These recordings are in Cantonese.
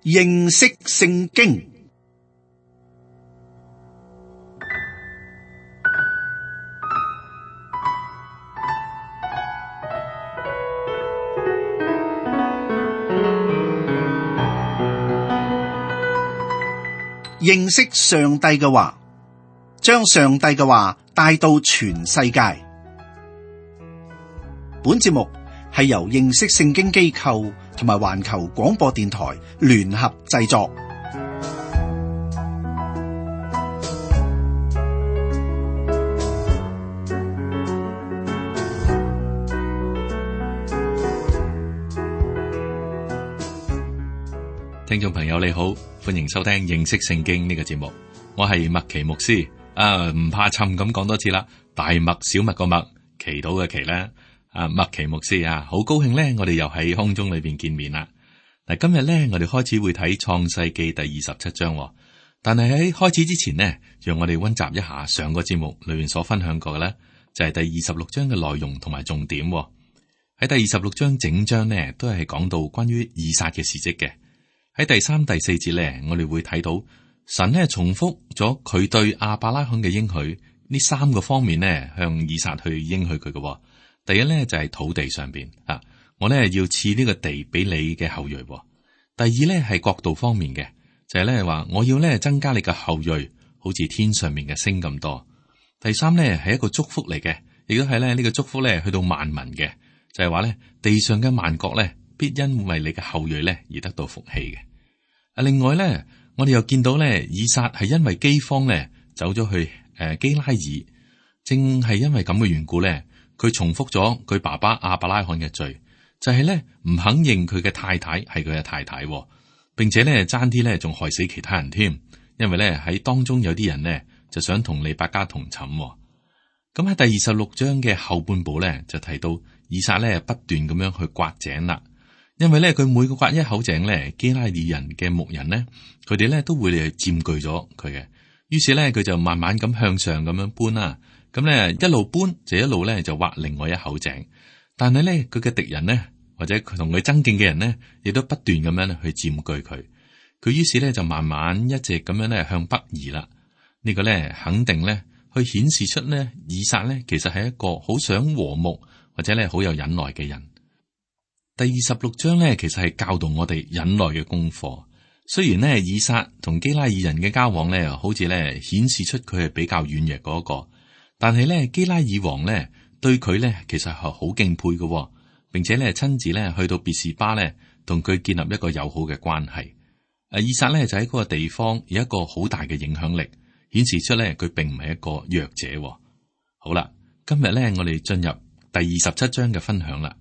認識聖經。認識上帝嘅話，將上帝嘅話帶到全世界。本節目係由認識聖經機構同埋環球廣播電台聯合製作。聽眾朋友你好，歡迎收聽認識聖經呢個節目，我係麥奇牧師。唔怕沉咁講多次啦，大麥小麥個麥，祈禱嘅祈咧。麥奇牧師啊，好高興咧，我哋又喺空中裏邊見面啦。嗱，今日咧我哋開始會睇創世記第27章，但係喺開始之前呢，讓我哋溫習一下上個節目裏面所分享過嘅咧，就係第26章嘅內容同埋重點。喺第26章整章呢，都係講到關於以撒嘅事蹟嘅。喺第3、第4節咧，我哋會睇到神咧重複咗佢對亞伯拉罕嘅應許，呢3個方面呢，向以撒去應許佢嘅。第一咧就係土地上邊啊，我咧要賜呢個地俾你嘅後裔。第二咧係國度方面嘅，就係咧話我要咧增加你嘅後裔，好似天上面嘅星咁多。第三咧係一個祝福嚟嘅，亦都係咧呢個祝福咧去到萬民嘅，就係話咧地上嘅萬國咧，必因為你嘅後裔咧而得到福氣嘅。另外咧，我哋又見到咧，以撒係因為饑荒咧走咗去基拉耳，正係因為咁嘅緣故咧，佢重複咗佢爸爸亞伯拉罕嘅罪，就係咧唔肯認佢嘅太太係佢嘅太太，並且咧爭啲咧仲害死其他人添，因為咧喺當中有啲人呢就想同利百加同寢。咁喺第26章嘅後半部咧就提到以撒咧不斷咁樣去挖井啦。因為咧，佢每個挖一口井咧，基拉耳人嘅牧人咧，佢哋咧都會嚟佔據咗佢嘅。於是咧，佢就慢慢咁向上咁樣搬啦。咁咧一路搬就一路咧就挖另外一口井。但係咧，佢嘅敵人咧，或者佢同佢爭競嘅人咧，亦都不斷咁樣去佔據佢。佢於是咧就慢慢一直咁樣咧向北移啦。呢個咧肯定咧去顯示出咧以撒咧其實係一個好想和睦或者咧好有忍耐嘅人。第26章咧，其實係教導我哋忍耐嘅功課。雖然咧，以撒同基拉耳人嘅交往咧，好似咧顯示出佢係比較軟弱嗰個，但係咧，基拉耳王咧對佢咧，其實係好敬佩嘅，並且咧親自咧去到別是巴咧，同佢建立一個友好嘅關係。以撒咧就喺嗰個地方有一個好大嘅影響力，顯示出咧佢並唔係一個弱者。好啦，今日咧我哋進入第27章嘅分享啦。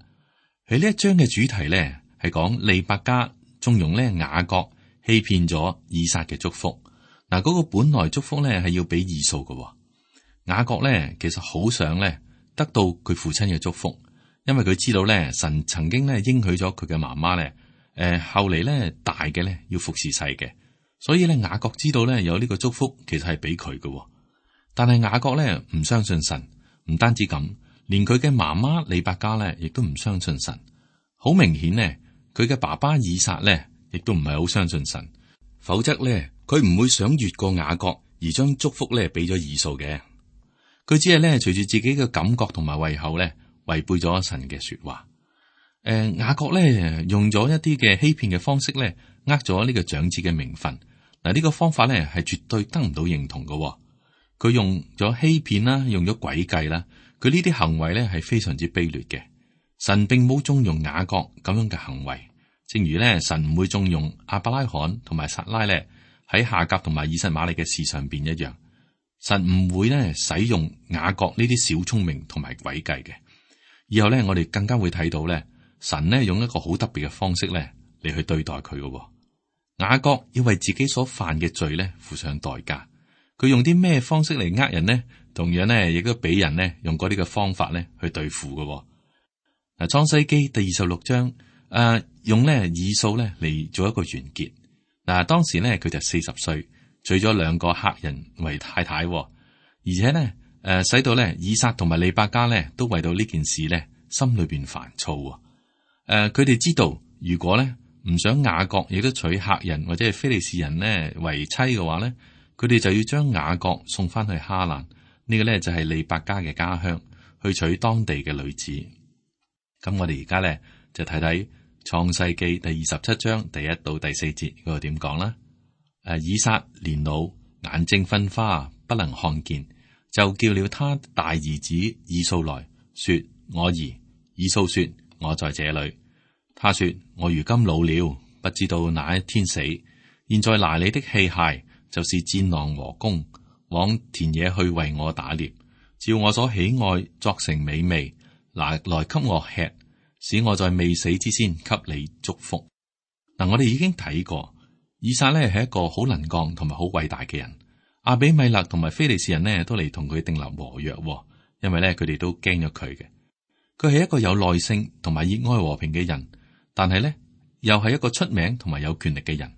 喺呢一章嘅主題咧，係講利百加縱容咧雅各欺騙咗以撒嘅祝福。嗱，嗰個本來祝福咧係要俾以掃嘅。雅各咧其實好想咧得到佢父親嘅祝福，因為佢知道咧神曾經咧應許咗佢嘅媽媽咧，後嚟咧大嘅咧要服侍細嘅，所以咧雅各知道咧有呢個祝福其實係俾佢嘅。但係雅各咧唔相信神，唔單止咁。連佢嘅媽媽利百加咧，亦都唔相信神。好明顯呢，佢嘅爸爸以撒咧，亦都唔係好相信神。否則咧，佢唔會想越過雅各而將祝福咧俾咗以掃嘅。佢只係咧隨住自己嘅感覺同埋胃口咧，違背咗神嘅說話。雅各咧用咗一啲嘅欺騙嘅方式咧，呃咗呢個長子嘅名分。嗱，呢個方法咧係絕對得唔到認同嘅。佢用咗欺騙啦，用咗詭計啦。佢呢啲行為咧係非常之卑劣嘅，神並冇縱容雅各咁樣嘅行為，正如咧神唔會縱容亞伯拉罕同埋撒拉咧喺夏甲同埋以實瑪利嘅事上邊一樣，神唔會咧使用雅各呢啲小聰明同埋詭計嘅。以後咧我哋更加會睇到咧，神咧用一個好特別嘅方式咧嚟去對待佢嘅。雅各要為自己所犯嘅罪咧付上代價，佢用啲咩方式嚟呃人呢？同樣咧，亦都俾人咧用嗰啲嘅方法咧去對付嘅。嗱，創世記第26章，用咧以掃咧嚟做一個完結。嗱，當時咧佢就40歲，娶咗2個赫人為太太，而且咧使到咧以撒同埋利百加咧都為到呢件事咧心裏邊煩躁。佢哋知道如果咧唔想雅各亦都娶赫人或者係非利士人呢為妻嘅話咧，佢哋就要將雅各送翻去哈蘭，呢個咧就係利百加嘅家鄉，去娶當地嘅女子。咁我哋而家咧就睇睇創世記第27章第1到第4節嗰度點講啦。以撒年老，眼睛昏花，不能看見，就叫了他大兒子以掃來說：我兒。以掃說：我在這裏。他說：我如今老了，不知道哪一天死。現在拿你的器械，就是箭囊和弓，往田野去為我打獵，照我所喜愛作成美味，拿來給我吃，使我在未死之先給你祝福。嗱，我哋已經睇過，以撒呢係一個好能幹同埋好偉大嘅人。亞比米勒同埋非利士人呢都嚟同佢訂立和約，因為呢佢哋都驚咗佢嘅。佢係一個有耐性同埋熱愛和平嘅人，但係呢又係一個出名同埋有權力嘅人。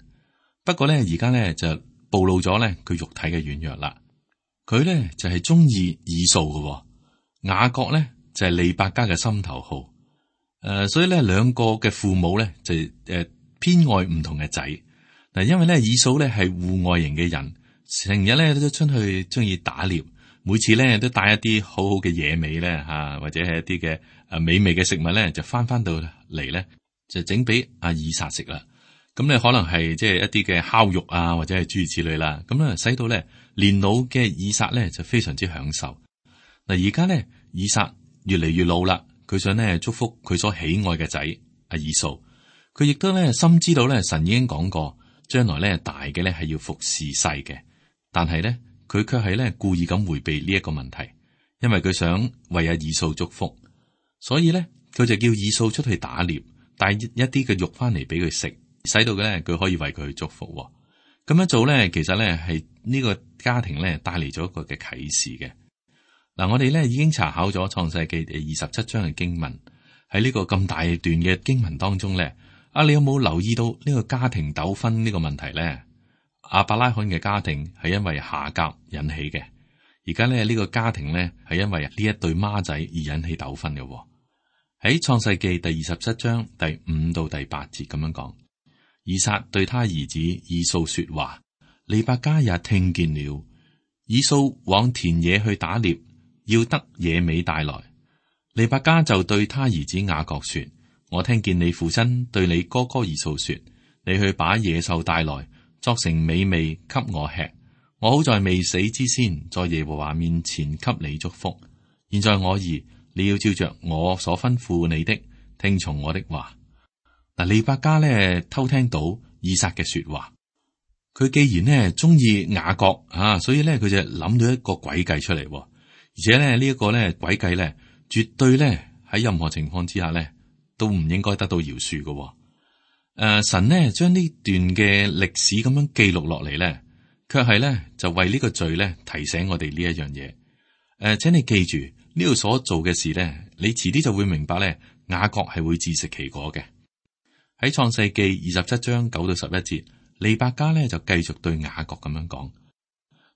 不過呢而家呢就暴露咗呢佢肉體嘅軟弱啦。佢呢就係中意以掃嘅，雅各呢就係利百加嘅心頭好。所以呢兩個嘅父母呢就偏愛唔同嘅仔。嗱，因為呢以掃呢係戶外型嘅人，成日呢都出去中意打獵。每次咧都帶一啲好好嘅野味咧吓，或者係一啲嘅美味嘅食物咧，就翻到嚟咧就整俾阿以撒食啦。咁咧可能係即係一啲嘅烤肉啊，或者係諸如此類啦。咁咧使到咧年老嘅以撒咧就非常之享受。嗱，而家咧以撒越嚟越老啦，佢想咧祝福佢所喜愛嘅仔阿以掃。佢亦都咧深知道咧神已經講過，將來咧大嘅咧係要服侍細嘅，但係咧。佢卻係咧故意咁回避呢一個問題，因為佢想為阿以掃祝福，所以咧佢就叫以掃出去打獵，帶一啲嘅肉翻嚟俾佢食，使到嘅咧佢可以為佢去祝福。咁樣做咧，其實咧係呢個家庭咧帶嚟咗一個嘅啟示嘅。嗱，我哋咧已經查考咗創世記第27章嘅經文，喺呢個咁大段嘅經文當中咧，你有冇留意到呢個家庭糾紛呢個問題咧？亞伯拉罕嘅家庭係因為夏甲引起嘅，而家咧呢個家庭咧係因為呢一對孖仔而引起糾紛嘅。喺創世記第27章第5到第8節咁樣講，以撒對他兒子以掃說話，利百加也聽見了。以掃往田野去打獵，要得野味帶來。利百加就對他兒子雅各說：我聽見你父親對你哥哥以掃說，你去把野獸帶來，作成美味給我吃，我好在未死之先，在耶和華面前給你祝福。現在我兒，你要照着我所吩咐你的，聽從我的話。嗱，利百加咧偷聽到以撒嘅說話，佢既然呢中意雅各啊，所以咧佢就諗到一個詭計出嚟，而且咧呢一個咧詭計咧絕對咧喺任何情況之下咧都唔應該得到饒恕嘅。神呢將呢段嘅歷史咁樣記錄落嚟咧，卻係咧就為呢個罪咧提醒我哋呢一樣嘢。請你記住呢度所做嘅事咧，你遲啲就會明白咧，雅各係會自食其果嘅。喺創世記27章9到11節，利百加咧就繼續對雅各咁樣講：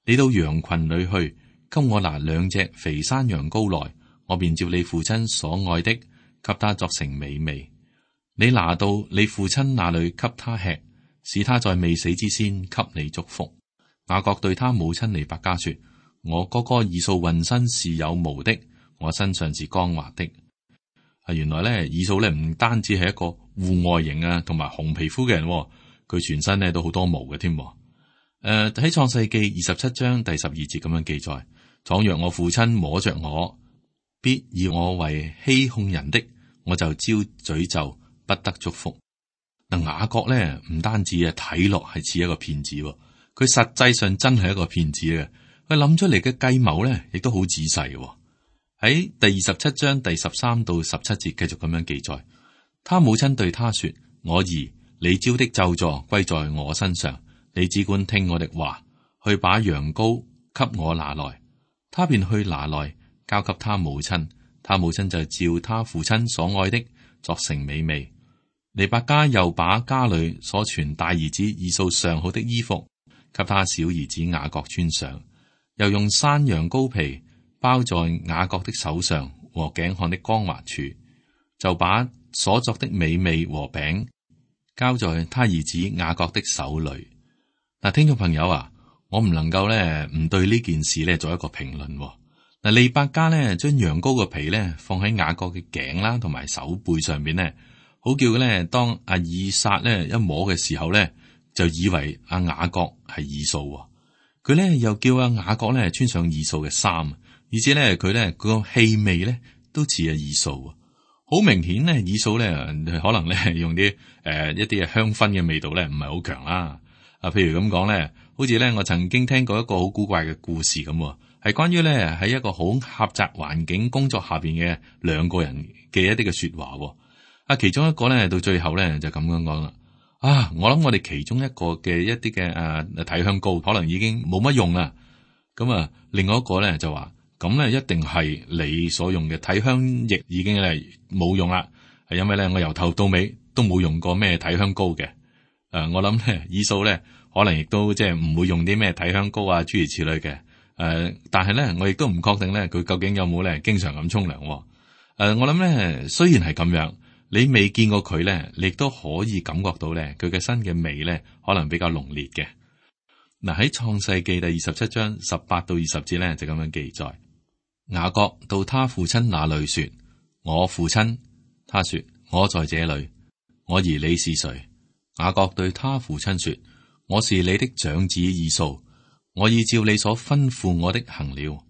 你到羊群裏去，給我拿2隻肥山羊羔來，我便照你父親所愛的，給他作成美味。你拿到你父親那裏給他吃，使他在未死之先給你祝福。雅各對他母親利百加說：我哥哥以掃渾身是有毛的，我身上是光滑的。原來咧以掃咧唔單止係一個戶外型啊，同埋紅皮膚嘅人，佢全身咧都好多毛嘅添。喺創世記27章第12節咁樣記載：倘若我父親摸着我，必以我為欺哄人的，我就招詛咒，不得祝福。嗱，雅各咧唔單止睇落係似一個騙子，佢實際上真係一個騙子嘅。佢諗出嚟嘅計謀咧，亦都好仔細嘅。喺第27章第13到17節繼續咁樣記載，他母親對他說：我兒，你招的咒詛歸在我身上，你只管聽我的話，去把羊羔給我拿來。他便去拿來，交給他母親，他母親就照他父親所愛的作成美味。利百加又把家裏所存大兒子以掃上好的衣服給他小兒子雅各穿上，又用山羊羔皮包在雅各的手上和頸項的光滑處，就把所作的美味和餅交在他兒子雅各的手裏。嗱，聽眾朋友啊，我唔能夠咧唔對呢件事咧做一個評論。嗱，利百加咧將羊羔嘅皮咧放喺雅各嘅頸啦，同埋手背上邊咧，好叫咧當阿以撒咧一摸嘅時候咧，就以為阿雅各係以掃。佢咧又叫阿雅各咧穿上以掃嘅衫，而且咧佢咧個氣味咧都似阿以掃。好明顯咧，以掃咧可能咧用啲一啲嘅香薰嘅味道咧唔係好強啦。譬如咁講咧，好似咧我曾經聽過一個好古怪嘅故事咁，係關於咧喺一個好狹窄環境工作下邊嘅兩個人嘅一啲嘅說話。其中一個咧到最後咧就咁樣講啦。我諗我哋其中一個嘅一啲嘅體香膏可能已經冇乜用啦。咁另外一個咧就話，咁咧一定係你所用嘅體香液已經係冇用啦，係因為咧我由頭到尾都冇用過咩體香膏嘅。我諗咧以掃咧可能亦都即係唔會用啲咩體香膏啊諸如此類嘅。但係咧我亦都唔確定咧佢究竟有冇咧經常咁沖涼。我諗咧雖然係咁樣，你未見過佢咧，你亦都可以感覺到咧佢嘅身嘅味咧可能比較濃烈嘅。嗱，喺創世記第27章18到20節咧就咁樣記載。雅各到他父親那裏說：我父親。他說：我在這裏。我兒你是誰？雅各對他父親說：我是你的長子以掃。我已照你所吩咐我的行了，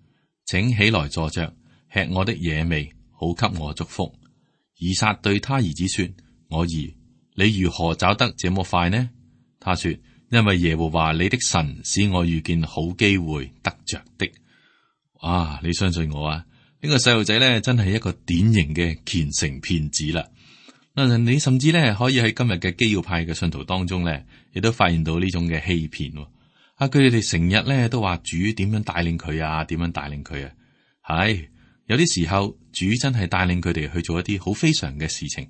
請起來坐着，吃我的野味，好給我祝福。以撒對他兒子說：我兒，你如何找得這麼快呢？他說：因為耶和華你的神使我遇見好機會得着的。你相信我啊？呢個細路仔咧真係一個典型嘅虔誠騙子啦。你甚至咧可以喺今日嘅基要派嘅信徒當中咧，亦都發現到呢種嘅欺騙。佢哋成日咧都話主點樣帶領佢啊，點樣帶領佢啊。係有啲時候主真係帶領佢哋去做一啲好非常嘅事情，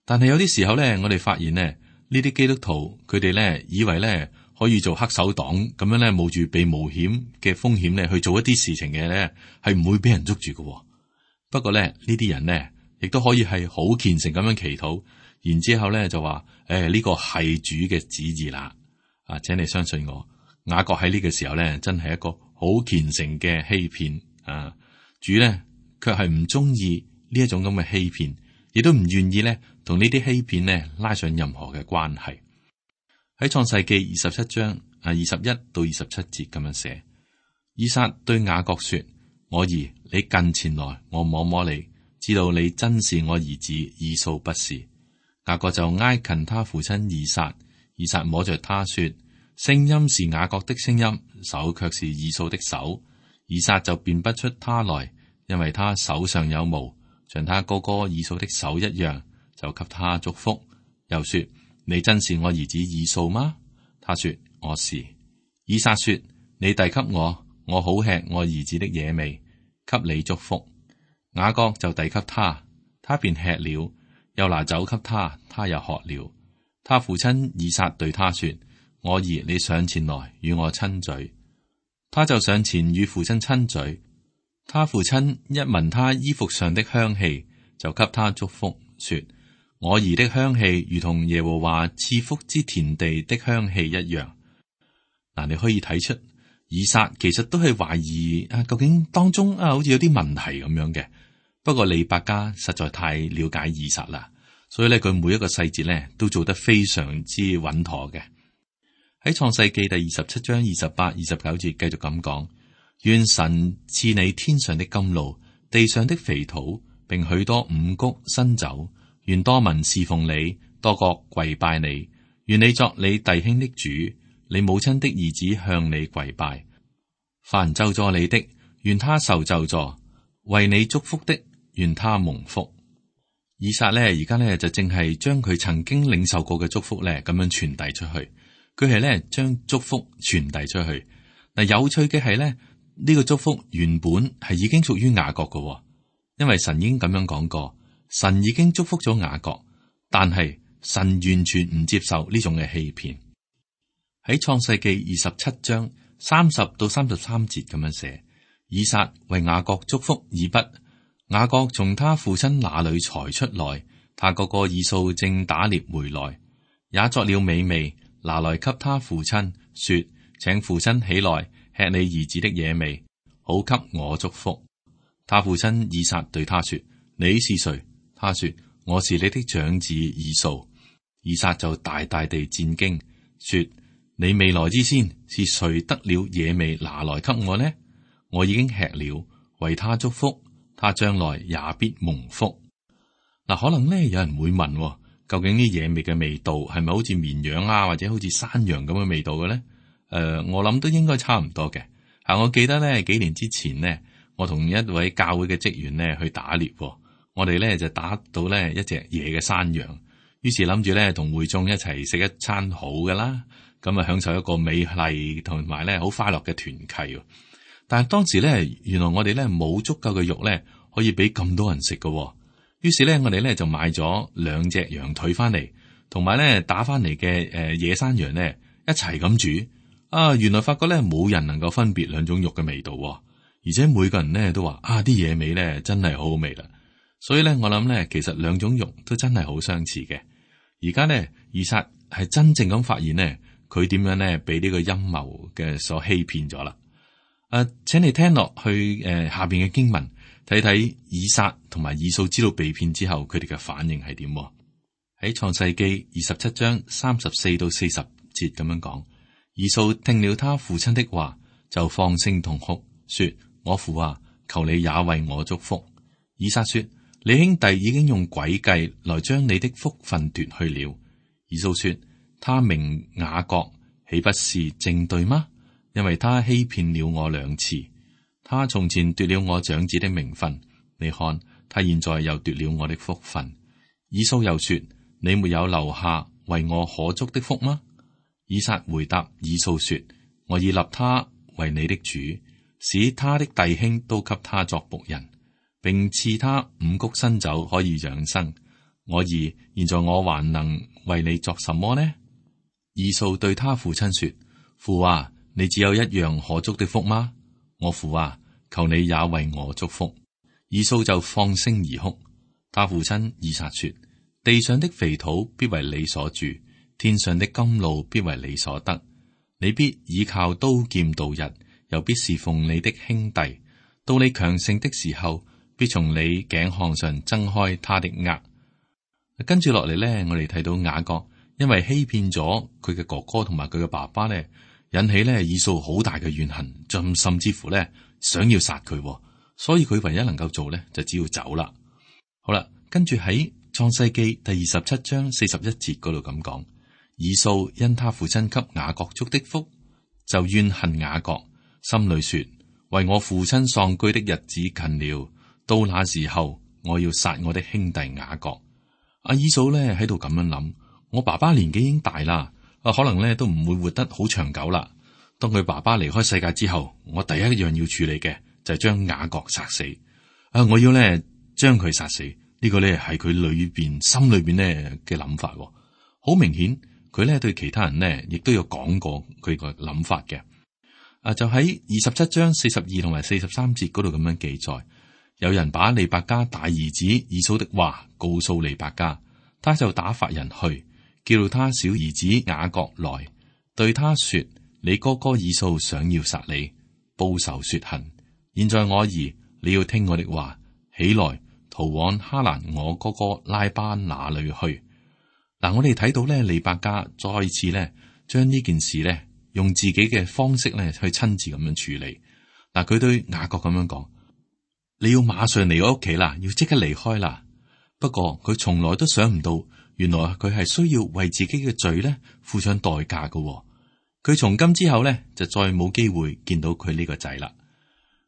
但係有啲時候咧，我哋發現咧呢啲基督徒佢哋咧以為咧可以做黑手黨咁樣咧，冒住被冒險嘅風險咧去做一啲事情嘅咧，係唔會俾人捉住嘅。不過咧呢啲人咧亦都可以係好虔誠咁樣祈禱，然之後咧就話呢個係主嘅旨意啦。請你相信我。雅各喺呢個時候咧，真係一個好虔誠嘅欺騙。主咧卻係唔中意呢一種咁嘅欺騙，亦都唔願意咧同呢啲欺騙咧拉上任何嘅關係。喺創世記27章21到27節咁樣寫，以撒對雅各說：我兒，你近前來，我摸摸你，知道你真是我兒子以掃不是。雅各就挨近他父親以撒，以撒摸着他說：聲音是雅各的聲音，手卻是以掃的手。以撒就辨不出他來，因為他手上有毛，像他哥哥以掃的手一樣，就給他祝福。又說：你真是我兒子以掃嗎？他說：我是。以撒說：你遞給我，我好吃我兒子的野味，給你祝福。雅各就遞給他，他便吃了，又拿酒給他，他又喝了。他父親以撒對他說：我兒，你上前來與我親嘴。他就上前與父親親嘴。他父親一聞他衣服上的香氣，就給他祝福，說：我兒的香氣如同耶和華賜福之田地的香氣一樣。嗱，你可以睇出以撒其實都係懷疑究竟當中好似有啲問題咁樣嘅。不過利百加實在太了解以撒啦，所以咧佢每一個細節咧都做得非常之穩妥嘅。喺創世記第27章28、29節繼續咁講：願神賜你天上的甘露、地上的肥土，並許多五穀新酒。願多民侍奉你，多國跪拜你。願你作你弟兄的主，你母親的兒子向你跪拜。凡咒詛你的，願他受咒詛；為你祝福的，願他蒙福。以撒呢，而家呢，就正係將佢曾經領受過嘅祝福呢咁樣傳遞出去。佢係咧將祝福傳遞出去。嗱，有趣嘅係咧，呢個祝福原本係已經屬於雅各嘅，因為神已經咁樣講過，神已經祝福咗雅各，但係神完全唔接受呢種嘅欺騙。喺創世記27章30到33節咁樣寫，以撒為雅各祝福以笏。雅各從他父親那裏才出來，他哥哥以掃正打獵回來。也作了美味，拿來給他父親，說：請父親起來吃你兒子的野味，好給我祝福。他父親以撒對他說：你是誰？他說：我是你的長子以掃。以撒就大大地戰驚，說：你未來之先是誰得了野味拿來給我呢？我已經吃了，為他祝福，他將來也必蒙福。嗱，可能呢，有人會問，究竟啲野味嘅味道係咪好似綿羊啊，或者好似山羊咁嘅味道嘅咧？我諗都應該差唔多嘅。我記得咧，幾年之前呢，我同一位教會嘅職員呢去打獵，我哋咧就打到咧一隻野嘅山羊，於是諗住咧同會眾一齊食一餐好㗎啦，咁啊享受一個美麗同埋咧好快樂嘅團契。但係當時咧，原來我哋咧冇足夠嘅肉咧可以俾咁多人食嘅，於是咧我哋咧就買咗2隻羊腿翻嚟，同埋咧打翻嚟嘅野山羊咧一齊咁煮。原來發覺咧冇人能夠分別兩種肉嘅味道，而且每個人咧都話啲野味咧真係好好味啦。所以咧我諗咧，其實兩種肉都真係好相似嘅。而家咧以撒係真正咁發現咧，佢點樣咧俾呢個陰謀嘅所欺騙咗啦。請你聽落去下邊嘅經文，睇睇以撒同埋以掃知道被騙之後，佢哋嘅反應係點？喺創世記27章34到40節咁樣講。以掃聽了他父親的話，就放聲痛哭，說：我父啊，求你也為我祝福。以撒說：你兄弟已經用詭計來將你的福分奪去了。以掃說：他名雅各，豈不是正對嗎？因為他欺騙了我2次。他從前奪了我長子的名分，你看他現在又奪了我的福分。以掃又說：你沒有留下為我可祝的福嗎？以撒回答以掃說：我已立他為你的主，使他的弟兄都給他作僕人，並賜他5穀新酒可以養生。我兒，現在我還能為你作什麼呢？以掃對他父親說：父啊，你只有一樣可祝的福嗎？我父啊，求你也為我祝福。以掃就放聲而哭。他父親以撒說：地上的肥土必為你所住，天上的甘露必為你所得。你必倚靠刀劍度日，又必侍奉你的兄弟。到你強盛的時候，必從你頸項上掙開他的軛。跟住落嚟呢，我哋睇到雅各因為欺騙咗佢嘅哥哥同埋佢嘅爸爸呢，引起呢以掃好大嘅怨恨，甚至乎呢想要殺佢。所以佢唯一能夠做呢，就只要走啦。好啦，跟住喺創世記第27章41節嗰度咁講。以掃因他父親給雅各祝的福，就怨恨雅各，心裏說：為我父親喪居的日子近了，到那時候我要殺我的兄弟雅各。以掃呢喺度咁樣諗：我爸爸年紀已經大啦，可能呢都唔會活得好長久啦。當佢爸爸離開世界之後，我第一樣要處理嘅就係將雅各殺死。我要呢將佢殺死，呢個呢係佢心裏邊呢嘅諗法。好明顯。佢咧對其他人呢，亦都有講過佢個諗法嘅。就喺27章42同埋43節嗰度咁樣記載，有人把利百加大兒子以掃的話告訴利百加，他就打發人去，叫他小兒子雅各來，對他說：你哥哥以掃想要殺你，報仇雪恨。現在我兒，你要聽我的話，起來逃往哈蘭我哥哥拉班那裏去。嗱，我哋睇到咧，利百加再次咧將呢件事咧用自己嘅方式咧去親自咁樣處理。嗱，佢對雅各咁樣講：你要馬上嚟我屋企啦，要即刻離開啦。不過佢從來都想唔到，原來佢係需要為自己嘅罪咧付上代價㗎。佢從今之後咧就再冇機會見到佢呢個仔啦。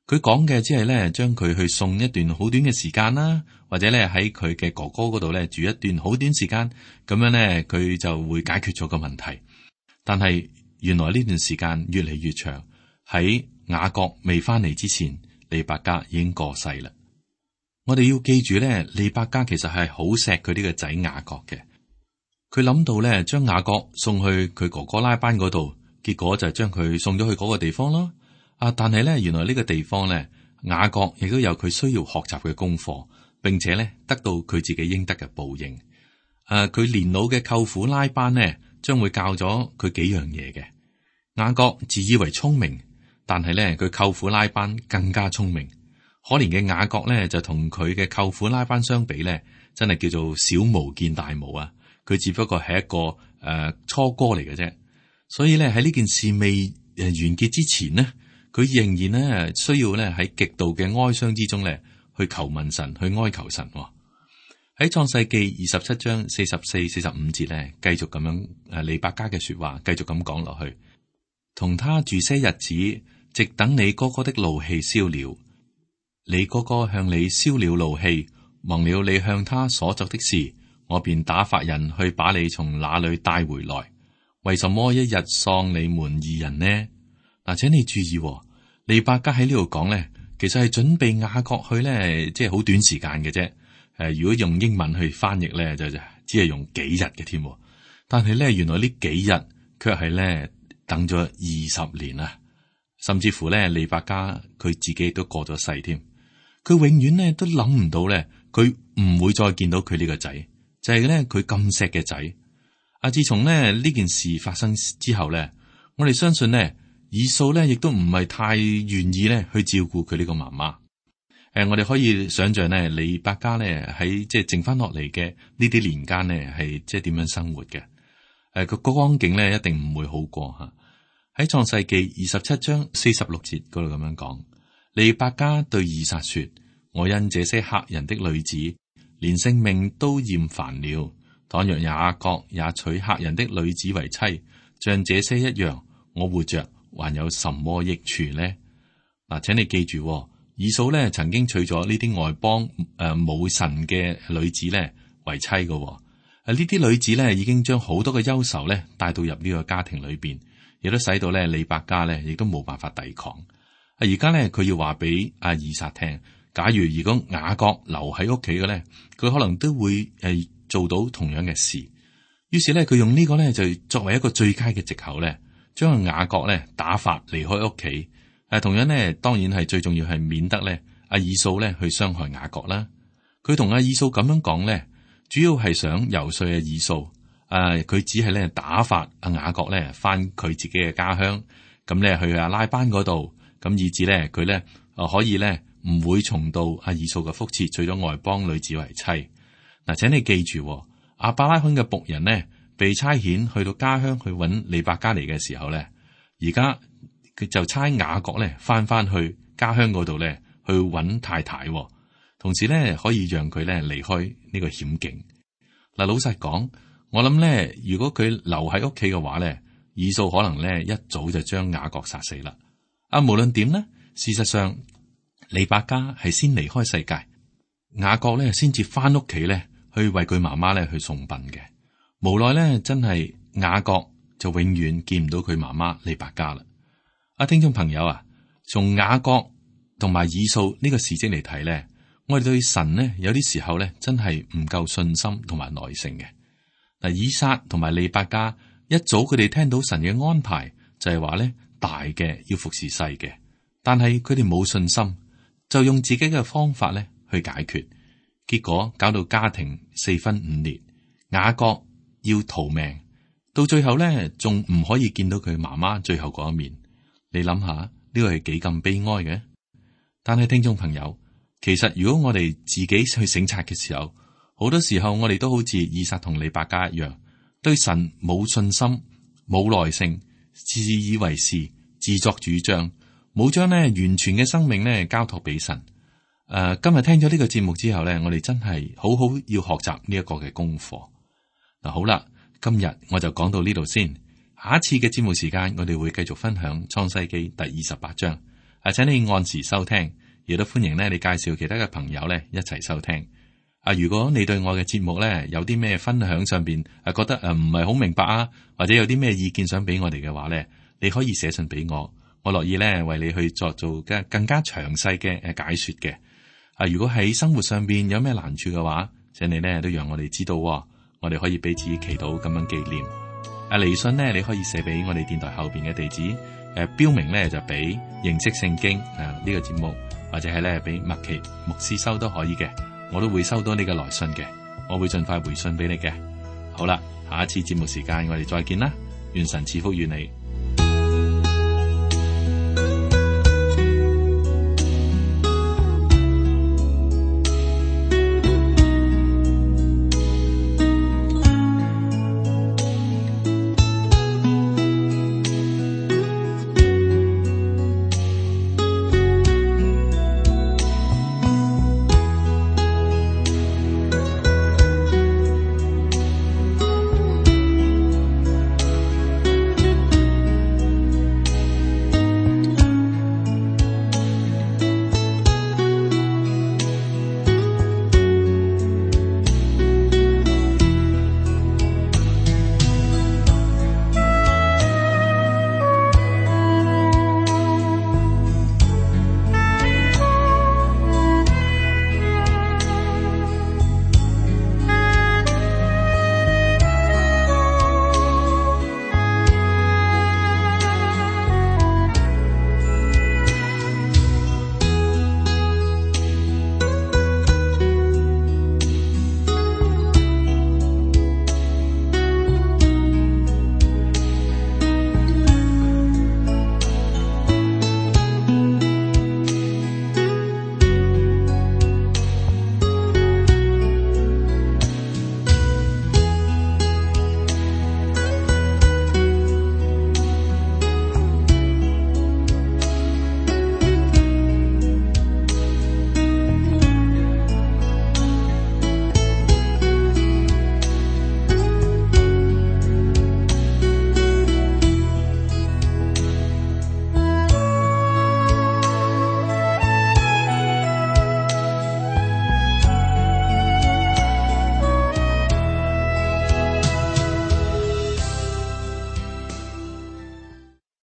佢講嘅只係咧將佢去送一段好短嘅時間啦，或者咧喺佢嘅哥哥嗰度咧住一段好短時間，咁樣咧佢就會解決咗個問題。但係原來呢段時間越嚟越長，喺雅各未翻嚟之前，利百加已經過世啦。我哋要記住咧，利百加其實係好錫佢呢個仔雅各嘅。佢諗到咧將雅各送去佢哥哥拉班嗰度，結果就將佢送咗去嗰個地方咯。但係咧，原來呢個地方咧，雅各亦都有佢需要學習嘅功課，並且咧得到佢自己應得嘅報應。佢年老嘅舅父拉班呢，將會教咗佢幾樣嘢嘅。雅各自以為聰明，但係咧佢舅父拉班更加聰明。可憐嘅雅各咧就同佢嘅舅父拉班相比咧，真係叫做小巫見大巫啊！佢只不過係一個初哥嚟嘅啫。所以咧喺呢件事未完結之前呢，佢仍然咧需要咧喺極度嘅哀傷之中咧去求問神，去哀求神。喺創世記27章44、45節咧，繼續咁樣利百加嘅說話，繼續咁講落去。同他住些日子，直等你哥哥的怒氣消了。你哥哥向你消了怒氣，忘了你向他所作的事，我便打發人去把你從那裏帶回來。為什麼一日喪你們二人呢？嗱，請你注意，利百加喺呢度講咧，其實係準備雅各去咧，即係好短時間嘅啫。如果用英文去翻譯咧，就只係用幾日嘅添。但係咧，原來呢幾日卻係咧等咗20年啊，甚至乎咧，利百加佢自己都過咗世添。佢永遠咧都諗唔到咧，佢唔會再見到佢呢個仔，就係咧佢咁錫嘅仔。自從咧呢件事發生之後咧，我哋相信咧，以掃咧亦都唔係太願意咧去照顧佢呢個媽媽。我哋可以想象咧，利百加咧喺即係剩翻落嚟嘅呢啲年間咧，係即係點樣生活嘅？個光景咧一定唔會好過吓。喺創世記27章46節嗰度咁樣講，利百加對以撒說：我因這些客人的女子，連性命都厭煩了。倘若雅各也娶客人的女子為妻，像這些一樣，我活着還有什麼益處呢？嗱，請你記住，以掃咧曾經娶咗呢啲外邦冇神嘅女子咧為妻嘅。呢啲女子咧已經將好多嘅憂愁咧帶到入呢個家庭裏邊，亦都使到咧利百加咧亦都冇辦法抵抗。而家咧佢要話俾阿以撒聽，假如雅各留喺屋企嘅咧，佢可能都會做到同樣嘅事。於是咧佢用呢個咧就作為一個最佳嘅藉口咧，將雅各咧打發離開屋企。同樣咧，當然係最重要係免得咧阿以掃咧去傷害雅各啦。佢同阿以掃咁樣講咧，主要係想游說阿以掃。佢只係咧打發阿雅各咧翻佢自己嘅家鄉，咁咧去阿拉班嗰度，咁以至咧佢咧可以咧唔會重蹈阿以掃嘅覆轍，娶咗外邦女子為妻。嗱，請你記住，亞伯拉罕嘅僕人呢，被差遣去到家鄉去揾利百加嚟嘅時候咧，而家佢就差雅各咧翻去家鄉嗰度咧去揾太太，同時咧可以讓佢咧離開呢個險境。嗱，老實講，我諗咧，如果佢留喺屋企嘅話咧，以掃可能咧一早就將雅各殺死啦。無論點呢，事實上利百加係先離開世界，雅各咧先至翻屋企咧去為佢媽媽咧去送殯嘅。無奈咧，真係雅各就永遠見唔到佢媽媽利百加啦。聽眾朋友啊，從雅各同埋以掃呢個事蹟嚟睇咧，我哋對神呢有啲時候咧真係唔夠信心同埋耐性嘅。嗱，以撒同埋利百加一早佢哋聽到神嘅安排，就係話咧大嘅要服侍細嘅，但係佢哋冇信心，就用自己嘅方法咧去解決，結果搞到家庭4分5裂，雅各要逃命，到最後咧仲唔可以見到佢媽媽最後嗰一面。你諗下呢個係幾咁悲哀嘅？但係聽眾朋友，其實如果我哋自己去省察嘅時候，好多時候我哋都好似以撒同利百加一樣，對神冇信心、冇耐性，自以為是、自作主張，冇將完全嘅生命交託俾神。今日聽咗呢個節目之後咧，我哋真係好好要學習呢一個嘅功課。嗱，好啦，今日我就講到呢度先。下一次嘅節目時間，我哋會繼續分享創世記第28章。請你按時收聽，亦都歡迎咧你介紹其他嘅朋友咧一齊收聽。如果你對我嘅節目咧有啲咩分享上邊覺得唔係好明白啊，或者有啲咩意見想俾我哋嘅話咧，你可以寫信俾我，我樂意咧為你去做更加詳細嘅解說嘅。如果喺生活上邊有咩難處嘅話，請你咧都讓我哋知道，我哋可以彼此祈禱咁樣紀念。嚟信呢，你可以寫俾我哋電台後邊嘅地址，標明咧就俾認識聖經呢個節目，或者係咧俾麥奇牧師收都可以嘅，我都會收到你嘅來信嘅，我會盡快回信俾你嘅。好啦，下一次節目時間我哋再見啦，願神賜福與你。